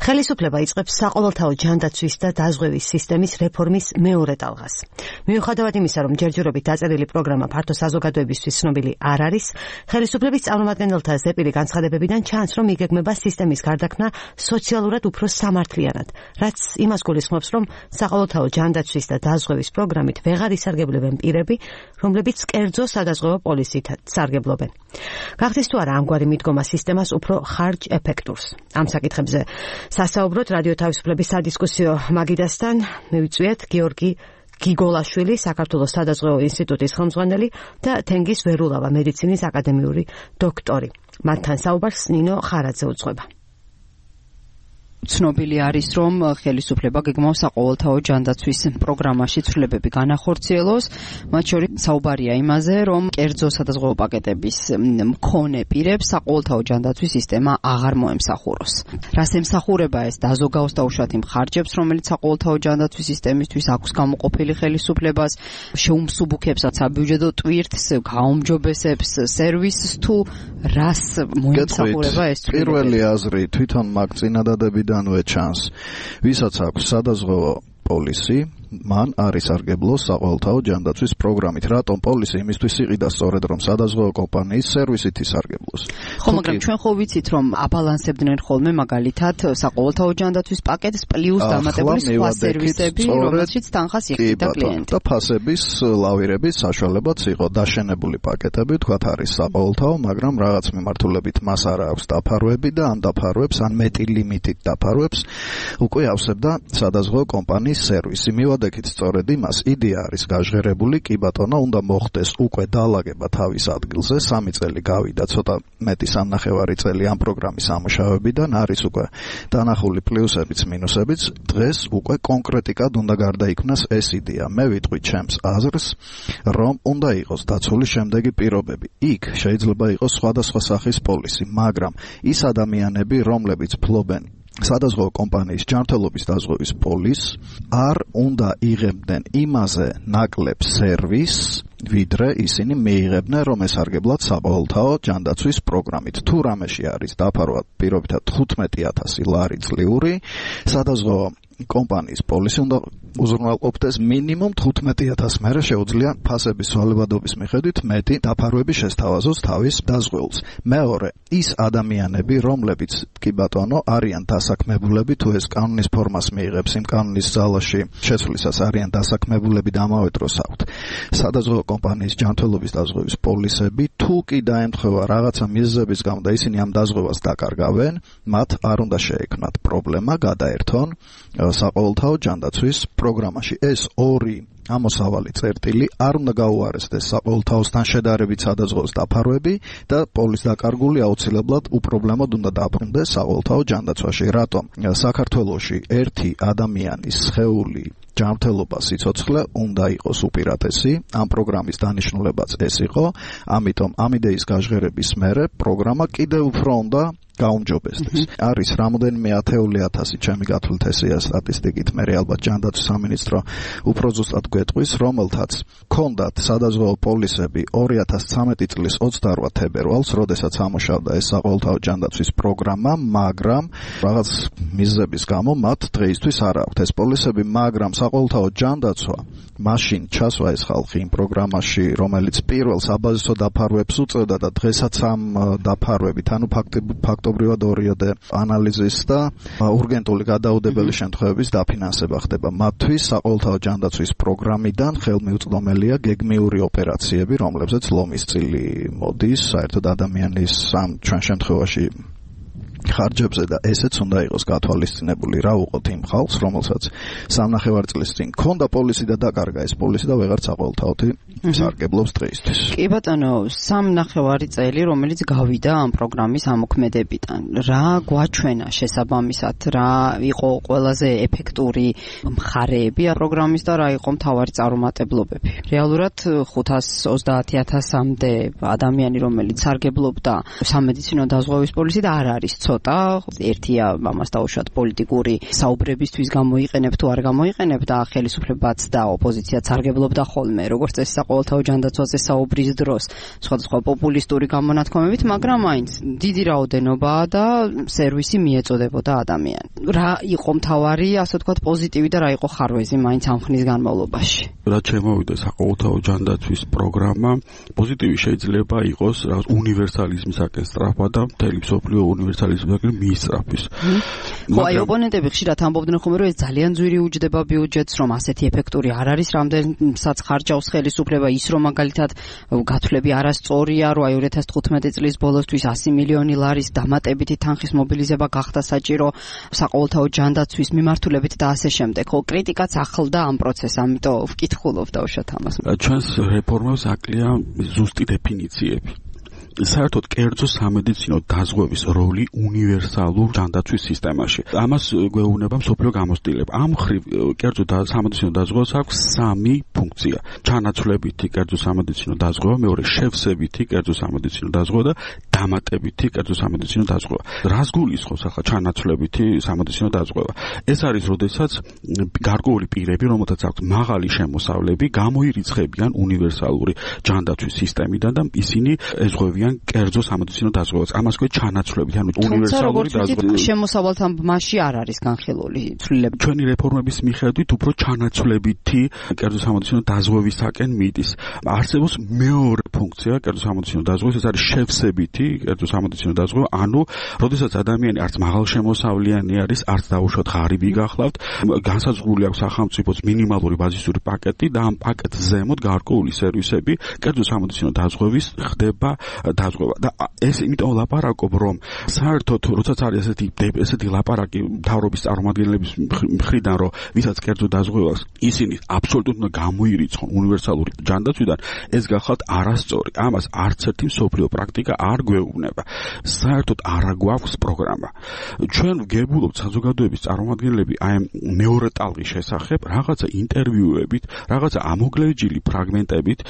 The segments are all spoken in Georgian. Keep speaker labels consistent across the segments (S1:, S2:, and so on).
S1: ხელისუფლება იწყებს საყოველთაო ჯანდაცვის და დაზღვევის სისტემის რეფორმის მეორე ტალღას. მიუხედავად იმისა, რომ ჯერჯერობით დაწერილი პროგრამა ფართო საზოგადოებისთვის ცნობილი არ არის, ხელისუფლების წარმომადგენელთა ზეპირი განცხადებებიდან ჩანს, რომ იგეგმება სისტემის გარდაქმნა სოციალურად უფრო სამართლიანად, რაც იმას გულისხმობს, რომ საყოველთაო ჯანდაცვის და დაზღვევის პროგრამით ვეღარ ისარგებლებენ პირები, რომლებიც კერძო სადაზღვევო პოლისით სარგებლობენ. გახდეს თუ არა ამგვარი მიდგომა სისტემას უფრო ხარჯ ეფექტურს? ამ საკითხებზე სასაუბროთ რადიო თავისუფლების სადისკუსიო მაგიდასთან მივიწვიეთ გიორგი გიგოლაშვილი, საქართველოს სადაზღვევო ინსტიტუტის ხელმძღვანელი და თენგიზ ვერულავა მედიცინის აკადემიური დოქტორი. მათთან საუბარს ნინო ხარაძე უძღვება.
S2: ცნობილი არის, რომ ხელისუფლება გეგმავს საყოველთაო ჯანდაცვის პროგრამაში ცვლილებები განახორციელოს, მათ შორის საუბარია იმაზე, რომ კერძო სადაზღვევო პაკეტების მქონე პირებს საყოველთაო ჯანდაცვის სისტემა აღარ მოემსახუროს. რას ემსახურება ეს დაზოგაოს და უშუალოდ იმ ხარჯებს, რომელიც საყოველთაო ჯანდაცვის სისტემისთვის აქვს გამოყოფილი ხელისუფლებას, შეუმსუბუქებს საბიუჯეტო ტვირთს, გაუმჯობესებს სერვისს თუ რას მოემსახურება ეს ცვლილებები?
S3: პირველი აზრი თვითონ მაგ წინადადებიდან ჩანს, ვისაც აქვს სადაზღვევო პოლისი, მან არის სარგებლოს საყოველთაო ჯანდაცვის პროგრამით. რატომ პოლისი იმისთვის იყიდა სწორედ, რომ სადაზღვევო კომპანიის სერვისით ისარგებლოს?
S2: ხო, მაგრამ ჩვენ ხო ვიცით, რომ აბალანსებდნენ ხოლმე მაგალითად საყოველთაო ჯანდაცვის პაკეტს პლუს დამატებული სხვა სერვისები, რომელშიც თანხას იღებდა კლიენტი.
S3: და ფასების ლავირების საშუალებაც იყო დაშენებული პაკეტები, თქვათ არის საყოველთაო, მაგრამ რაღაც მიმართულებით მას არ აქვს დაფარვები და ამ დაფარვებს ან მეტი ლიმიტით დაფარვებს უკვე ავსებდა სადაზღვევო კომპანიის სერვისი. მივადექით სწორედ იმას, იდეა არის გაჟღერებული, კი ბატონო, უნდა მოხდეს უკვე დაალაგება თავის ადგილზე, 3 წელი გავიდა, ცოტა მეტი სამნახევარი წელი ამ პროგრამის ამუშავებიდან, არის უკვე დანახული პლუსებიც, მინუსებიც, დღეს უკვე კონკრეტიკად უნდა გარდაიქმნას ეს იდეა. მე ვიტყვი ჩემს აზრს, რომ უნდა იყოს დაცული შემდეგი პირობები. იქ შეიძლება იყოს სხვადასხვა სახის პოლისი, მაგრამ ის ადამიანები, რომლებიც ფლობენ სადაზღვევო კომპანიის ჯანმრთელობის დაზღვევის პოლისს, არ უნდა იღებდნენ იმაზე ნაკლებ სერვისს, ვიდრე ისინი მიიღებდნენ, რომ ესარგებლად საყოველთაო ჯანდაცვის პროგრამით. თუ რამეში არის დაფარვა პირობითად 15,000 ლარი წლიური, სადაზღვევო კომპანიის პოლისი უნდა უზრუნველყოფდეს მინიმუმ 15,000, მერე შეუძლია ფასების ცვალებადობის მიხედვით მეტი დაფარვები შესთავაზოს თავის დაზღვეულს. მეორე, ის ადამიანები, რომლებიც კი ბატონო არიან დასაქმებულები, თუ ეს კანონის ფორმას მიიღებს, იმ კანონის ძალაში შეცვლისას არიან დასაქმებულები და ამავე დროს აქვთ სადაზღვევო კომპანიის ჯანმრთელობის დაზღვევის პოლისები, თუ კი დაემთხვევა რაღაცა მიზეზების გამო და ისინი ამ დაზღვევას დაკარგავენ, მათ არ უნდა შეექმნათ პრობლემა, გადაერთონ საყოველთაო ჯანდაცვის პროგრამაში. ეს ორი ამოსავალი წერტილი არ უნდა გაუარესდეს საყოველთაოსთან შედარებით სადაზღვევოს დაფარვები და პოლის დაკარგული აუცილებლად უპრობლემოდ უნდა დაბრუნდეს საყოველთაო ჯანდაცვაში. რატომ? საქართველოში ერთი ადამიანის სხეული ჯანმრთელობა სიცოცხლე უნდა იყოს უპირატესი, ამ პროგრამის დანიშნულებაც ეს იყო, ამიტომ ამ იდეის გაჟღერების მერე პროგრამა კიდევ უფრო უნდა გაუმჯობესდეს. არის რამოდენიმე 10,000 ჩემი გათვლით ესეა სტატისტიკით, მე ალბათ ჯანდაცვის სამინისტრო უფრო ზუსტად გვეტყვის, რომელთაც ჰქონდათ სადაზღვევო პოლისები 2013 წლის 28 თებერვალს, როდესაც ამუშავდა ეს საყოველთაო ჯანდაცვის პროგრამა, მაგრამ რაღაც მიზეზების გამო მათ დღეისთვის არ აქვთ ეს პოლისები, მაგრამ საყოველთაო ჯანდაცვა მაშინ ჩასვა ეს ხალხი იმ პროგრამაში, რომელიც პირველ საბაზისო დაფარვებს უწევდა და დღესაც ამ დაფარვებით, ანუ ფაქტობრივად ორიოდე ანალიზის და урგენტული გადაუდებელი შემთხვევების დაფინანსება ხდება. მათთვის საყოველთაო ჯანდაცვის პროგრამიდან ხელმიუწვდომელია გეგმიური ოპერაციები, რომლებზეც ლომის წილი მოდის, საერთოდ ადამიანის ამ ჩვენ შემთხვევაში ხარჯებზე და ესეც უნდა იყოს გათვალისწინებული, რა უყოთ იმ ხალხს, რომელსაც 3,5 წლის წინ ჰქონდა პოლისი და დაკარგა ეს პოლისი და ვეღარ საყოველთაოთი სარგებლობს დღეისთვის.
S2: კი ბატონო, 3,5 წელი, რომელიც გავიდა ამ პროგრამის ამოქმედებიდან. რა გვაჩვენა შესაბამისად, რა იყო ყველაზე ეფექტური მხარეები ამ პროგრამის და რა იყო მთავარი წარუმატებლობები? რეალურად 530,000-მდე ადამიანი, რომელიც სარგებლობდა სამედიცინო დაზღვევის პოლისით, არ არის ცოტა, ერთია ამას დაუშვათ პოლიტიკური საუბრებისთვის გამოიყენებ თუ არ გამოიყენებ და ხელისუფლებაც და ოპოზიციაც სარგებლობდა ხოლმე, როგორც წესი საყოველთაო ჯანდაცვაზე საუბრის დროს, სხვადასხვა პოპულისტური გამონათქვამებით, მაგრამ მაინც დიდი რაოდენობაა და სერვისი მიეწოდებოდა ადამიანს. რა იყო მთავარი, ასე ვთქვათ, პოზიტივი და რა იყო ხარვეზი მაინც ამ ხნის განმავლობაში?
S4: რაც შემოვიდა საყოველთაო ჯანდაცვის პროგრამა, პოზიტივი შეიძლება იყოს რაღაც უნივერსალიზმისაკენ სწრაფვა და მთელი მსოფლიო უნივერსალიზმისაკენ მიისწრაფვის.
S2: ხო, აი ოპონენტები ხშირად ამბობდნენ ხოლმე, რომ ეს ძალიან ძვირი უჯდება ბიუჯეტს, რომ ასეთი ეფექტური არ არის, რამდენსაც ხარჯავს ხელისუფლება, ის რომ მაგალითად გათვლები არასწორია, რომ აი 2015 წლის ბოლოსთვის 100 მილიონი ლარის დამატებითი თანხის მობილიზება გახდა საჭირო საყოველთაო ჯანდაცვის მიმართულებით და ასე შემდეგ. ხო, კრიტიკაც ახლდა ამ პროცესს, ამიტომ ვკითხულობ დავუშვათ ამას.
S4: ჩვენს რეფორმებს აკლია ზუსტი დეფინიციები. საერთოდ კერძო სამედიცინო დაზღვევის როლი უნივერსალურ ჯანდაცვის სისტემაში. ამას გვეუბნება მსოფლიო გამოცდილება. ამ მხრივ კერძო სამედიცინო დაზღვევას აქვს 3 ფუნქცია. ჩანაცვლებითი კერძო სამედიცინო დაზღვევა, მეორე შევსებითი კერძო სამედიცინო დაზღვევა და დამატებითი კერძო სამედიცინო დაზღვევა. რას გულისხმობს ახლა ჩანაცვლებითი სამედიცინო დაზღვევა? ეს არის, როდესაც გარკვეული პირები, რომელთაც აქვს მაღალი შემოსავლები, გამოირიცხებიან უნივერსალური ჯანდაცვის სისტემიდან და ისინი ეზღვევიან კერძო სამედიცინო დაზღვევას. ამას ქვია ჩანაცვლებით, ანუ უნივერსალური დაზღვევა.
S2: შემოსავალთან მასში არ არის განხილული ცვლილება.
S4: ჩვენი რეფორმების მიხედვით უფრო ჩანაცვლებითი კერძო სამედიცინო დაზღვევისაკენ მიდის. არსებობს მეორე ფუნქცია კერძო სამედიცინო დაზღვევის, ეს არის შევსებითი კერძო სამედიცინო დაზღვევა, ანუ როდესაც ადამიანი არც მაღალშემოსავლიანი არის, არც დაუშვათ ღარიბი გახლავთ, განსაზღვრული აქვს სახელმწიფოს მინიმალური ბაზისური პაკეტი და ამ პაკეტს ზემოთ გარკვეული სერვისები კერძო სამედიცინო დაზღვევის ხდება დაზღვევა. და ეს იმიტომ ლაპარაკობ, რომ საერთოდ როდესაც არის ესეთი ლაპარაკი მთავრობის წარმომადგენლების მხრიდან, რომ ვისაც კერძო დაზღვევას ისინი აბსოლუტურად უნდა გამოირიცხონ უნივერსალური ჯანდაცვიდან, ეს გახლავთ არასწორი. ამას არც ერთი მსოფლიო პრაქტიკა არ გვეუბნება. საერთოდ არ გვაქვს პროგრამა. ჩვენ ვგებულობთ საზოგადოების წარმომადგენლები აი მეორე ტალღის შესახებ რაღაცა ინტერვიუებით, რაღაცა ამოგლეჯილი ფრაგმენტებით,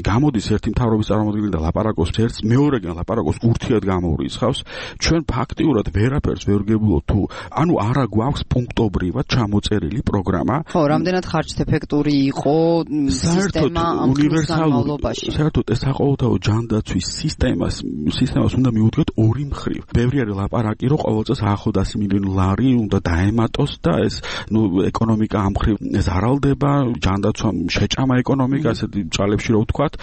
S4: გამოდის ერთი მთავრობის წარმომადგენელი და ლაპარაკობს ერთს, მეორეგან ლაპარაკობს ურთიერთ გამოურიცხავს. ჩვენ ფაქტიურად ვერაფერს ვერ ვგებულობთ თუ ანუ არა გვაქვს პუნქტობრივად ჩამოწერილი პროგრამა.
S2: ხო, რამდენად ხარჯ-ეფექტური იყო სისტემა ამ განმავლობაში.
S4: საერთოდ ეს საყოველთაო ჯანდაცვის სისტემას უნდა მივუდგეთ ორი მხრივ. ბევრი არის ლაპარაკი, რომ ყოველ წელს ახლო 100 მილიონი ლარი უნდა დაემატოს და ეს ეკონომიკა ამ მხრივ ზარალდება, ჯანდაცვა შეჭამა ეკონომიკა, ასეთი ჭალებში რო ვთქვათ.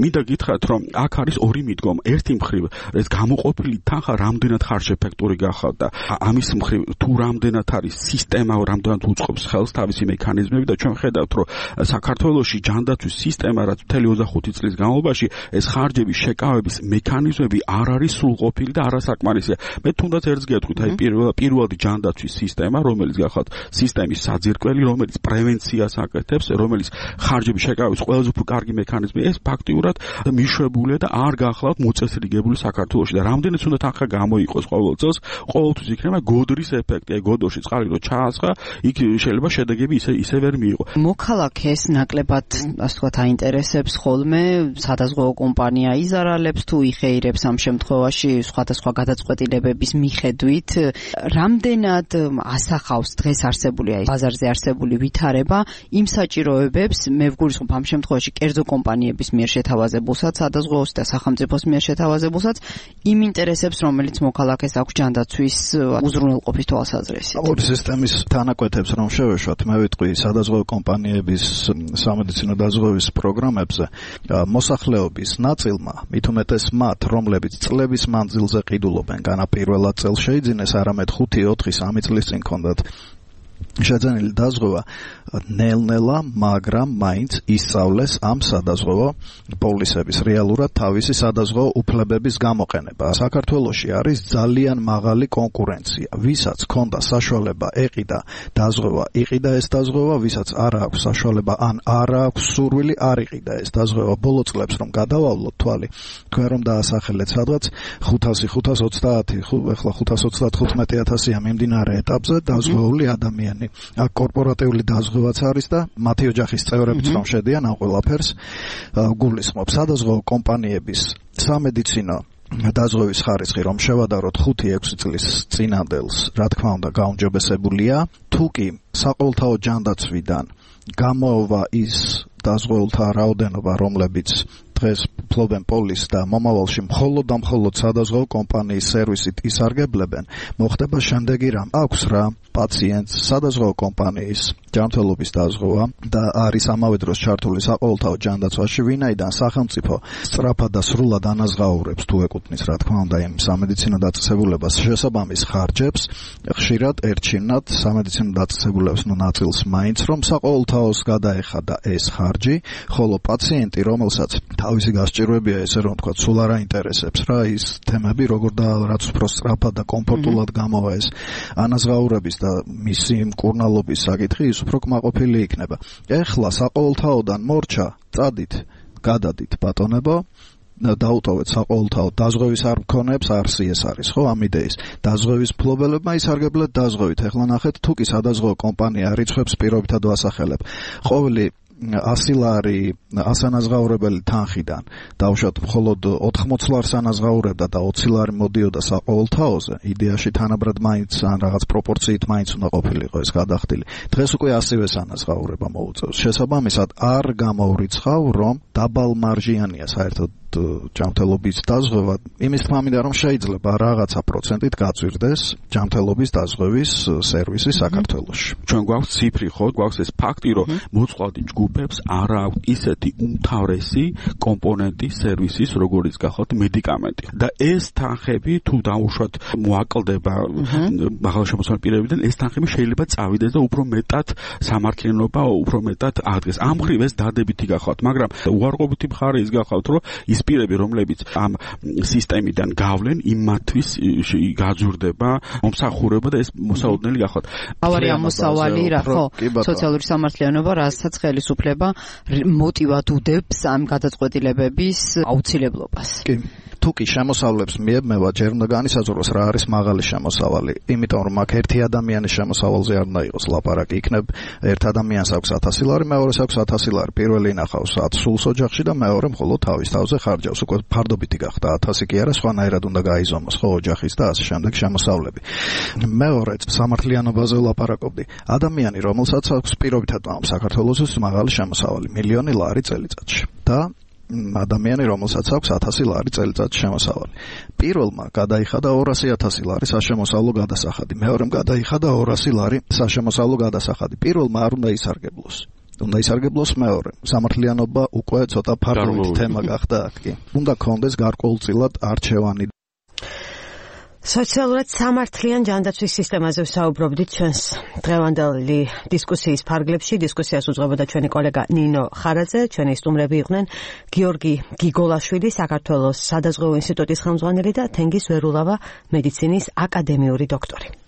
S4: მინდა გითხრათ, რომ აქ არის ორი მიდგომა. ერთი მხრივ ეს გამოყოფილი თანხა რამდენად ხარჯ-ეფექტური გახავთ და ამის მხრივ თუ რამდენად არის სისტემა, რამდენად უწყობს ხელს თავისი მექანიზმები და ჩვენ ხედავთ, რომ საქართველოში ჯანდაცვის სისტემა, რაც მთელი 25 წლის განმავლობაში ეს ხარჯების შეკავების მექანიზმები არ არის სრულყოფილი და არასაკმარისია. მე თუნდაც ერთს გეტყვით, აი პირველადი ჯანდაცვის სისტემა, რომელიც გახავთ სისტემის საძირკველი, რომელიც პრევენციას აკეთებს, რომელიც ხარჯების შეკავების ყველაზე უფრო კარგი მექანიზმი, ეს ფაქტიურად მიშვებულია და არ გახლავთ მოწესრიგებული საქართველოში და რამდენიც უნდა თანხა გამოიყოს ყოველ წელს, ყოველთვის იქნება გოდრის ეფექტი. აი გოდოში წყალი რო ჩაასხა, იქ შეიძლება შედეგები ისე ვერ მიიღო.
S2: მოქალაქეს ნაკლებად, ასე ვთქვათ, აინტერესებს ხოლმე სადაზღვევო კომპანია იზარალებს თუ იხეირებს ამ შემთხვევაში სხვადასხვა გადაწყვეტილებების მიხედვით, რამდენად ასახავს დღეს არსებული აი ბაზარზე არსებული ვითარება იმ საჭიროებებს, მე ვგულისხმობ ამ შემთხვევაში კერძო კომპანიების მიერ შეთავაზებულსაც, სადაზღვევოს და სახელმწიფოს მიერ შეთავაზებულსაც, იმ ინტერესებს, რომელიც მოქალაქეს აქვს ჯანდაცვის უზრუნველყოფის თვალსაზრისით.
S3: ორი სისტემის თანაკვეთებს რომ შევეშვათ, მე ვიტყვი სადაზღვევო კომპანიების სამედიცინო დაზღვევის პროგრამებზე მოსახლეობის ნაწილმა, მით უმეტეს მათ, რომლებიც წლების მანძილზე ყიდულობენ, განაპირველად წელს შეიძინეს, არამედ 5-4-3 წლის წინ ჰქონდათ შეძენილი დაზღვევა, ნელ-ნელა, მაგრამ მაინც ისწავლეს ამ სადაზღვევო პოლისების რეალურად თავისი სადაზღვევო უფლებების გამოყენება. საქართველოში არის ძალიან მაღალი კონკურენცია. ვისაც ჰქონდა საშუალება ეყიდა დაზღვევა, იყიდა ეს დაზღვევა, ვისაც არ აქვს საშუალება ან არ აქვს სურვილი, არ იყიდა ეს დაზღვევა. ბოლო წლებს რომ გადავავლოთ თვალი, თქვენ რომ დაასახელეთ სადღაც 500-530, ახლა 535,000-ია მიმდინარე ეტაპზე დაზღვეული ადამიანი. აქ კორპორატიული დაზღვევაც არის და მათი ოჯახის წევრებიც რომ შედიან ამ ყველაფერს გულისხმობს. სადაზღვევო კომპანიების სამედიცინო დაზღვევის ხარისხი რომ შევადაროთ 5-6 წლის წინანდელს, რა თქმა უნდა, გაუმჯობესებულია. თუ კი საყოველთაო ჯანდაცვიდან გამოვა ის დაზღვეულთა რაოდენობა, რომლებიც დღეს ფლობენ პოლისს და მომავალში მხოლოდ და მხოლოდ სადაზღვეო კომპანიის სერვისით ისარგებლებენ, მოხდება შემდეგი რამ. აქვს რა პაციენტს სადაზღვეო კომპანიის ჯანმრთელობის დაზღვევა და არის ამავე დროს ჩართული საყოველთაო ჯანდაცვაში, ვინაიდან სახელმწიფო სწრაფად და სრულად ანაზღაურებს, თუ ეკუთვნის რა თქმა უნდა იმ სამედიცინო დაწესებულებას შესაბამის ხარჯებს, ხშირად ერჩივნათ სამედიცინო დაწესებულების ნაწილს მაინც რომ საყოველთაოს გადაეხადა ეს ხარჯი, ხოლო პაციენტი, რომელსაც თავისი გასჭირვებია, ესე რომ თქვა, სულ არ აინტერესებს რა ის თემები, როგორ და რაც უფრო სწრაფად და კომფორტულად გამოვა ეს ანაზღაურების და მისი მკურნალობის საკითხი, ის უფრო კმაყოფილი იქნება. ეხლა საყოველთაოდან მორჩა, წადით, გადადით ბატონებო, დაუტოვეთ საყოველთაო დაზღვევის არ მქონეებს, არსი ეს არის, ხო, ამ იდეის. დაზღვევის მფლობელებმა ისარგებლეთ დაზღვევით. ეხლა ნახეთ, თუ კი სადაზღვეო კომპანია რიცხვებს პირობითად ვასახელებ. ყოველი 100 ლარი ასანაზღაურებელი თანხიდან დავუშვათ მხოლოდ 80 ლარს ანაზღაურებდა და 20 ლარი მოდიოდა საყოველთაოზე, იდეაში თანაბრად მაინც ან რაღაც პროპორციით მაინც უნდა ყოფილიყო ეს გადახდილი. დღეს უკვე 100-ს ანაზღაურება მოუწევს. შესაბამისად არ გამოვრიცხავ, რომ დაბალ მარჟიანია საერთოდ ჯანმრთელობის დაზღვევა, იმის თქმა მინდა რომ შეიძლება რაღაცა პროცენტით გაწვირდეს ჯანმრთელობის დაზღვევის სერვისი საქართველოში.
S4: ჩვენ გვაქვს ციფრი, ხო, გვაქვს ეს ფაქტი, რომ მოწყვლადი ჯგუფებს არ აქვს ისეთი უმთავრესი კომპონენტი სერვისის, როგორიც გახოთ მედიკამენტი. და ეს თანხები თუ დაუშვათ მოაკლდება მაღალშემოცმული პირებიდან, ეს თანხები შეიძლება წავიდეს და უფრო მეტად სამართლიანობა, უფრო მეტად აღდგეს. ამ მხრივ ეს დადებითი გახავთ, მაგრამ უარყოფითი მხარე ის გახავთ, რომ ის პირები, რომლებიც ამ სისტემიდან გავლენ, იმათთვის გაძურდება მომსახურება და ეს მოსაოდნელი გახავთ.
S2: ავარი ამოსავალი რა, ხო, სოციალური სამართლიანობა, რასაც ხელისუფლება მოტივად უდებს ამ გადაწყვეტილებების აუცილებლობას.
S3: კი. თუ კი შემოსავლებს მიებმევა, ჯერ უნდა განისაზღვროს რა არის მაღალი შემოსავალი. იმიტომ რომ აქ ერთი ადამიანის შემოსავალზე არ უნდა იყოს ლაპარაკი. იქნებ ერთ ადამიანს აქვს 1000 ლარი, მეორეს აქვს 1000 ლარი. პირველი ინახავს 10 სულს ოჯახში და მეორე მხოლოდ თავის თავზე ხარჯავს. უკვე ფარდობითი გახდა 1000 კი არა, სხვანაირად უნდა გაიზომოს ხო ოჯახის და ასე შემდეგ შემოსავლები. მეორე სამართლიანობაზე ვლაპარაკობდი. ადამიანი, რომელსაც აქვს პირობითად საქართველოს მაღალი შემოსავალი, 1,000,000 ლარი წელიწადში და ადამიანი, რომელსაც აქვს 1000 ლარი წელიწადში შემოსავალი. პირველმა გადაიხადა 200,000 ლარი საშემოსავლო გადასახადი, მეორემ გადაიხადა 200 ლარი საშემოსავლო გადასახადი. პირველმა არ უნდა ისარგებლოს. უნდა ისარგებლოს მეორე. სამართლიანობა უკვე ცოტა ფარგლით თემა გახდა აქ კი. უნდა კონდეს გარკვეულწილად არჩევანი.
S1: სოციალურად სამართლიან ჯანდაცვის სისტემაზე ვსაუბრობდით ჩვენს დღევანდელი დისკუსიის ფარგლებში. დისკუსიას უძღვებოდა ჩვენი კოლეგა ნინო ხარაძე, ჩვენი სტუმრები იყვნენ გიორგი გიგოლაშვილი, საქართველოს სადაზღვეო ინსტიტუტის ხელმძღვანელი და თენგიზ ვერულავა, მედიცინის აკადემიური დოქტორი.